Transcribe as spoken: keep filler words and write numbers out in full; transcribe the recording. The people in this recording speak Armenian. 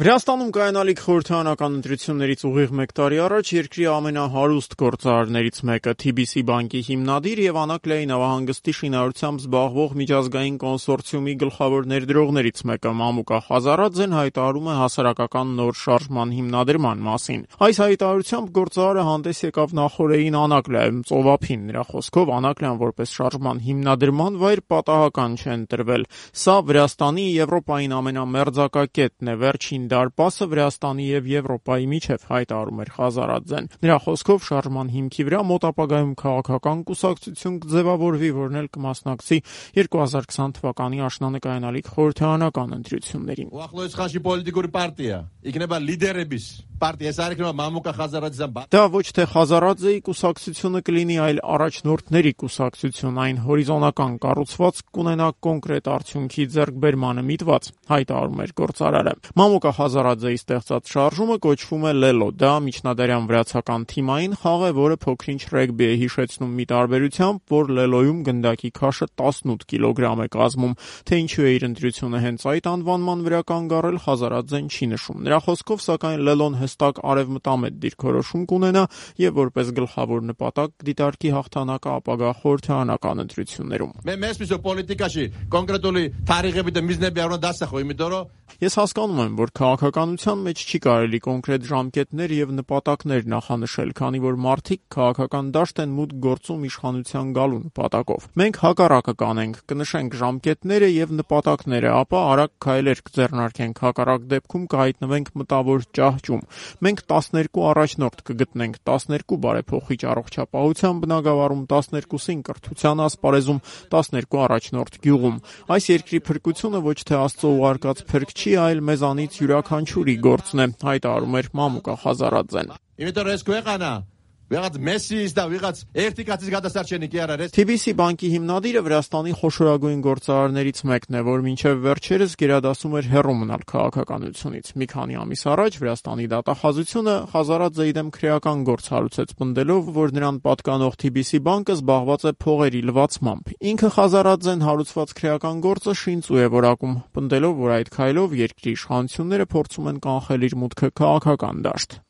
Վրաստանում կայանալիք խորհրդարանական ընտրություններից ուղիղ մեկ տարի առաջ երկրի ամենահարուստ գործարարներից մեկը Թի Բի Սի բանկի հիմնադիր եւ Անակլիայի նավահանգստի շինարարությամբ զբաղվող միջազգային կոնսորցիումի գլխավոր ներդրողներից մեկը Մամուկա Խազարաձեն հայտարարում է հասարակական նոր շարժման հիմնադրման մասին։ Այս հայտարարությամբ գործարարը հանդես եկավ նախորդին Անակլիայում ծովափին։ Նրա խոսքով Անակլիան որպես շարժման հիմնադրման վայր պատահական չէ ընտրվել։ Սա Վրաստանի Եվրոպային ամենամերձակա կետն է, վերջին դարպասը Վրաստանի եւ Եվրոպայի միջև, հայտարարում էր Խազարաձեն։ Նրա խոսքով շարժման հիմքի վրա մոտ ապագայում քաղաքական կուսակցություն կձևավորվի, որն էլ կմասնակցի երկու հազար քսան թվականի աշնանը կայանալիք խորհրդարանական ընտրություններին։ Դա ոչ թե Խազարաձեի կուսակցությունը կլինի, այլ առաջնորդների կուսակցություն, այն հորիզոնական կառուցվածք կունենա կոնկրետ արդյունքի ձեռքբերմանը միտված, հայտարարում էր գործարարը։ Մամուկա Խազարաձեի ստեղծած շարժումը կոչվում է Լելո։ Դա միջնադարյան վրացական թիմային խաղ է, որը փոքրինչ ռեգբի է հիշեցնում մի տարբերությամբ, որ Լելոյում գնդակի քաշը տասնութ կիլոգրամ է կազմում։ Թե ինչու է իր ընտրությունը հենց այդ անվանման վրա կանգ առել, Խազարաձեն չի նշում։ Նրա խոսքով, սակայն Լելոն հստակ արևմտամետ դիրքորոշում կունենա եւ որպես գլխավոր նպատակ դիտարկի հաղթանակը ապագա խորհրդարանական ընտրություններում։ Ես հասկանում եմ, որ քաղաքականության մեջ չի կարելի կոնկրետ ժամկետներ եւ նպատակներ նախանշել, քանի որ մարդիկ քաղաքական դաշտ են մուտք գործում իշխանության գալու նպատակով։ Մենք հակառակը կանենք, կնշենք ժամկետները եւ նպատակները, ապա արագ քայլեր կձեռնարկենք, հակառակ դեպքում կհայտնվենք մտավոր ճահճում։ Մենք տասներկու առաջնորդ կգտնենք, տասներկու բարեփոխիչ առողջապահության բնագավառում, տասներկուսին կրթության ասպարեզում, տասներկու առաջնորդ գյուղում։ Այս երկրի փրկությունը ոչ թե Աստծո ուղարկած փրկ չի, այլ մեզանից յուրաքանչյուրի գործն է, հայտարարում էր Մամուկա Խազարաձեն։ Թի Բի Սի բանկի հիմնադիրը Վրաստանի խոշորագույն գործարարներից մեկն է, որ մինչև վերջերս գերադասում էր հեռու մնալ քաղաքականությունից։ Մի քանի ամիս առաջ Վրաստանի դատախազությունը Խազարաձեի դեմ քրեական գործ հարուցեց, պնդելով, որ նրան պատկանող Թի Բի Սի բանկը զբաղված է փողերի լվացմամբ։ Ինքը Խազարաձեն հարուցված քրեական գործը շինծու է որակում, պնդելով, որ այդ քայլով երկրի իշխանությունները փորձում են կանխել իր մուտքը քաղաքական դաշտ։